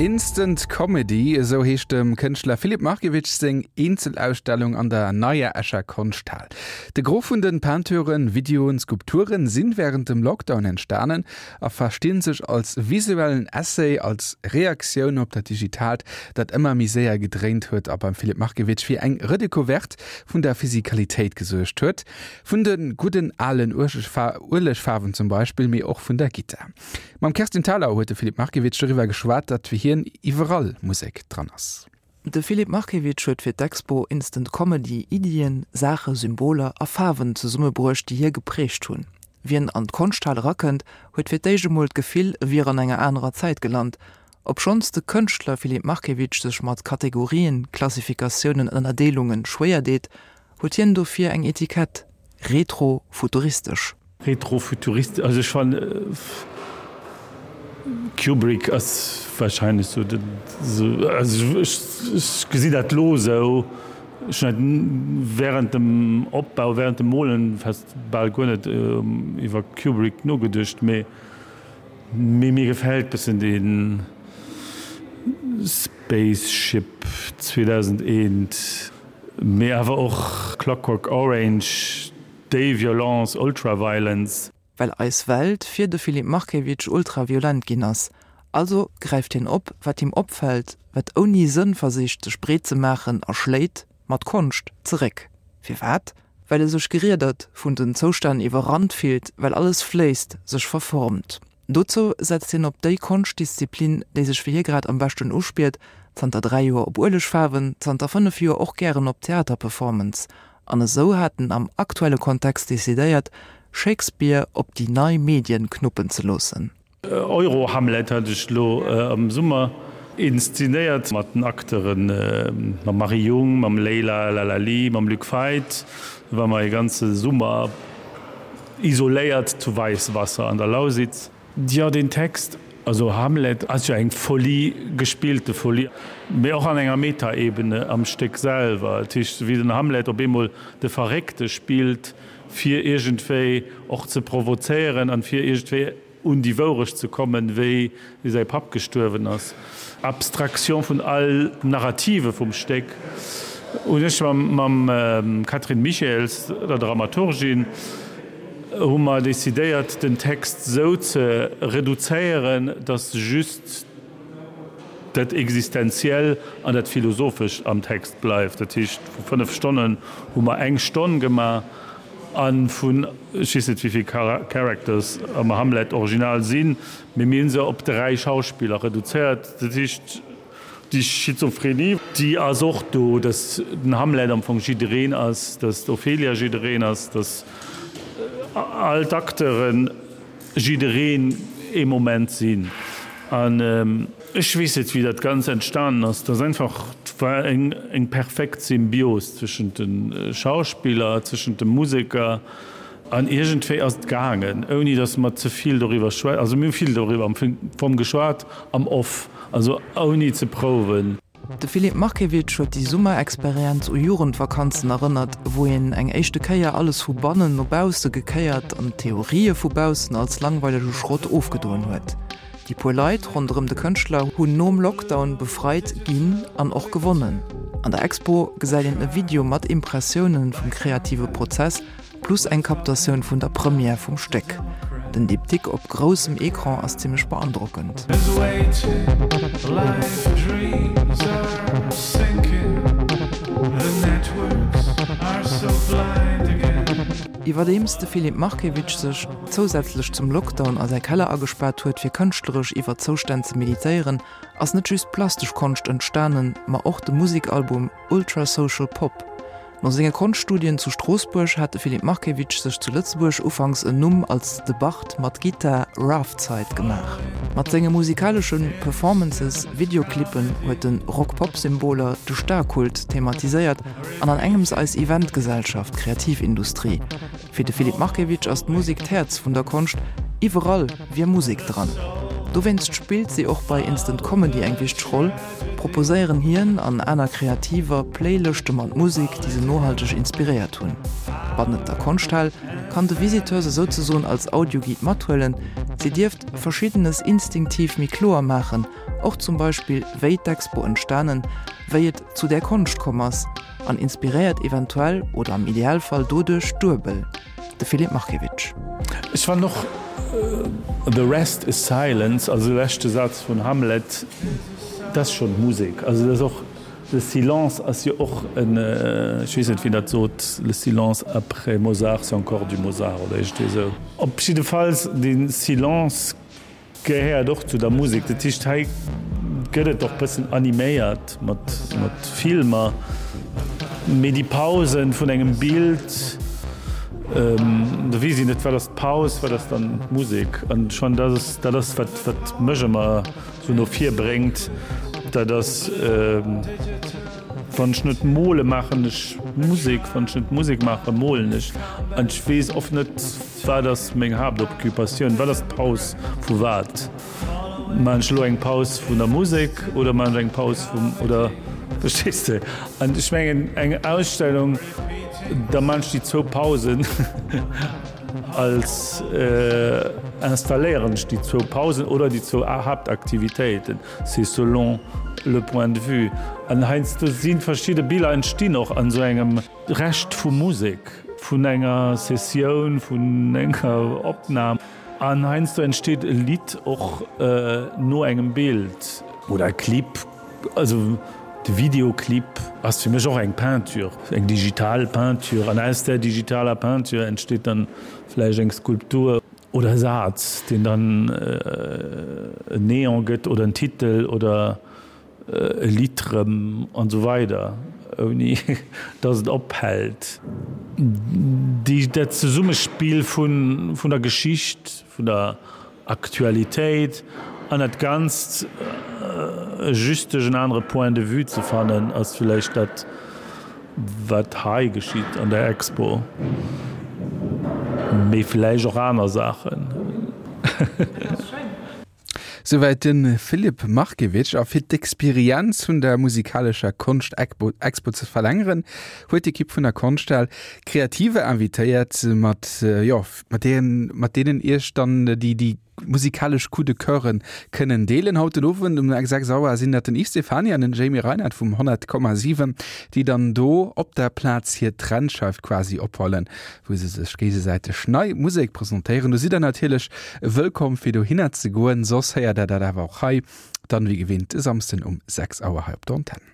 Instant Comedy, esou heescht dem Kënschtler Filip Markiewicz seng Eenzelausstellung an der neier Escher Konschthal. De Gros vun den Peinturen, Videoen, Skulpturen sinn wärend dem Lockdown entstanen a verstinn sech als visuellen Essay, als Reaktioun op dat Digitaalt, dat ëmmer méi séier gedréint huet a beim Filip Markiewicz fir eng Redécouverte vun der Physikalitéit gesuergt huet. Vun de gudden alen Uelegfaarwen zum Beispill, mee och vun der Gittar. Mam Kerstin Thalau huet de Filip Markiewicz doriwwer geschwat, datt fir hien iwwerall Musek dran ass. De Filip Markiewicz huet fir d'Expo Instant Comedy Iddien, Saache, Symboler a Faarwen zesummebruecht, déi hie geprägt hunn. Wien an d'Konschthal erakënnt, huet fir d'éischt emol d'Gefill, e wier an enger anerer Zäit gelant. Obschonns de Kënschtler Filip Markiewicz sech mat Kategorien, Klassifikatiounen, Ënnerdeelungen schwéier deet, Huet hien dofir eng Etikett, retro-futuristesch? Retro-futuristesch, also ech fannen Kubrick ass wahrscheinlech sou den, also ech gesi dat lo sou, ech hunn dat während dem Opbau, während dem Molen fast bal guer net iwwer Kubrick nogeduecht, mee mee mir gefält bëssen dee Spaceship 2001. Mee awer och Clockwork Orange, déi Violence, Ultraviolence. Well eis Welt fir de Filip Markiewicz ultraviolent ginn ass. Also gräift hien op, wat him opfält, wat ouni Sënn versicht sech breet ze maachen a schléit, mat Konscht, zeréck. Firwat? Well e sech geriedert, vun den Zoustänn iwwerrannt fillt, well alles fléisst, sech verformt. Dozou setzt hien op déi Konschtdisziplin, déi sech fir hie grad am beschten uspiert, zanter 3 Joer op Uelegfaarwen, zanter 5 Joer och gären op Theaterperformance. An esou hat en am aktuelle Kontext decidéiert, Shakespeare op déi nei Medien knuppen ze loossen. Euro-Hamlet hat ech elo am Summer inszenéiert mat den Acteuren, mam Marie Jung, mam Leila Lalali, mam Luc Feit. Do ware mer ee ganze Summer Isoléiert zu Weisswasser an der Lausitz. Jo, deen Text, also Hamlet ass jo eng Folie, gespillte Folie, mee och an enger Metaebene am Stéck selwer. Dat heescht, wéi den Hamlet op eemol de Verréckte spillt, fir iergendwéi och ze provozéieren an fir iergendwéi un déi Wourecht ze kommen, wéi säi Papp gestuerwen ass. Abstraction vun all Narrative vum Stéck hunn ech mam Catherine Michels, der Dramaturgin, hu mer decidéiert, den Text esou ze reduzéieren, datt just dat Existenziell an dat Philosophescht am Text bleift. Dat heescht, vu 5 Stonnen hu mer eng Stonn gemaach. A vun, ech weess net wéivill Characters am Hamlet Original sinn, mee mir hu se op 3 Schauspiller reduzéiert. Dat heescht, déi Schizophrenie, déi ass och do, datt den Hamlet am Fong jiddereen ass, datt d'Ophelia jiddereen ass, datt all d'Acteuren jiddereen ee Moment sinn. An ech weess net, wéi dat Ganzt entstanen ass. Et ass einfach, et war eng perfekt Symbios zwëschent de Schauspiller, zwëschent de Museker. An iergendwéi ass et gaangen, ouni datt mer ze vill doriwwer schwä-, also mir hu vill doriwwer am Fong geschwat am Off, also ouni ze prouwen. De Filip Markiewicz huet déi Summerexperienz u Jugendvakanzen erënnert, wou een eng éischte Kéier alles vu bannen no bausse gekéiert an d'Theorië vu baussen als langweilege Schrott ofgedoen huet. Déi puer Leit ronderëm de Kënschtler hunn nom Lockdown befreit ginn an och gewonnen. An der Expo gesäit een e Video mat Impressioune vum kreative Prozess Plus eng Captatioun vun der Première vum Stéck. Den Diptyque op groussem Ecran ass zimmlech beandrockend. Iwwerdeems de Filip Markiewicz sech zousätzlech zum Lockdown a säi Keller agespaart huet fir kënschtleresch iwwer d'Zoustänn ze meditéieren, ass net just plastesch Konscht entstanen, ma och de Musekalbum Ultra Social Pop. No senge Konschtstudien zu Stroossbuerg hat de Filip Markiewicz sech zu Lëtzebuerg ufanks en Numm als de Bard mat Gittar Rafzeit gemaach. Mat senge musikalesche Performances, Videoclippen huet en Rock-Pop-Symboler, de Starkult thematiséiert an an engems eis Eventgesellschaft, Kreativindustrie. Fir de Filip Markiewicz ass d'Musek d'Häerz vun der Konscht, iwwerall wier Musek dran. Dowéinst spillt si och bei Instant Comedy eng wichteg Roll. proposéieren hien an aner Kreativer Playlëschte mat Musek, déi se nohalteg inspiréiert hunn. Bannent der Konschthal kann de Visiteur se souzesoen als Audioguide mathuelen, si dierft Verschiddenes instinktiv méi kloer maachen. Och zum Beispill wéi d'Expo entstanen, wéi et zu där Konscht komm ass an inspiréiert eventuell oder am Idealfall doduerch duebel. De Filip Markiewicz. Ech fannen och The rest is silence, also de leschte Saz vun Hamlet, dat ass schonn Musek. Also dat ass och, le silence ass jo och en, ech weess net wien dat sot, le silence après Mozart c'est encore du Mozart oder iergendwéi esou. Op jiddefalls de Silence Gehéiert och zu der Musek. Dat heescht, hei gëtt et och bëssen animéiert mat Filmer, mee déi Pausen vun engem Bild, do weess een net, wat ass d'Paus, wat ass dann d'Musek. An schonn dat ass, dat ass wat, wat mech ëmmer esou no vir bréngt, dat ass, wann ech net mole maachen ech Musek, wann ech net Musek maache molen ech. An ech weess oft net, Wat ass meng Haaptoccupatioun? Wat ass d'Paus vu wat? Maachen ech elo eng Paus vun der Musek oder maachen ech eng Paus vum, oder verstees de? An ech mengen eng Ausstellung, da maachen ech déi zwou Pausen als, installéieren ech déi zwou Pausen oder déi zwou Haaptaktivitéiten, c'est selon le point de vue. An heiansdo si verschidde Biller entstinn och an esou engem. Rescht vu Musek, vun enger Sessioun, vun enger Opnam. An heiansdo entsteet e Lidd och no engem Bild. Oder e Clip. Also de Videoclip ass fir mech och eng Peinture, eng digital Peinture. An aus där digitaler Peinture entsteet dann vläicht eng Skulptur oder e Saz, deen dann en Neon gëtt oder en Titel oder. E Lidd rëm an esou weider, ouni datt et ophält. Déi, dat Zesummespill vun, vun der Geschicht, vun der Aktualitéit an dat Ganzt just duerch en anere Point de vue ze fannen, ass villäicht dat, wat hei geschitt an der Expo, mee villäicht och aner Saachen. Souwäit de Filip Markiewicz. A fir d'Experienz vun der musikalescher Konscht-Expo ze verlängeren, huet d'Ekipp vun der Konschthal Kreativer invitéiert, mat, jo, mat deenen, mat deenen Iech dann déi, déi musikalesch Coup de Coeuren kënnen deelen. Haut den Owend um 6 Auer sinn dat den Yves Stephany an den Jamie Reinert vum 100,7, déi dann do op der Plaz hir Trennscheif quasi ophollen. wou se sech géigesäiteg nei Musek presentéieren. Do sidd der natierlech wëllkomm fir dohinner ze goen, soss héiert der dat awer och hei dann wéi gewinnt e Samsden um 6 Auer hei op der Antenn.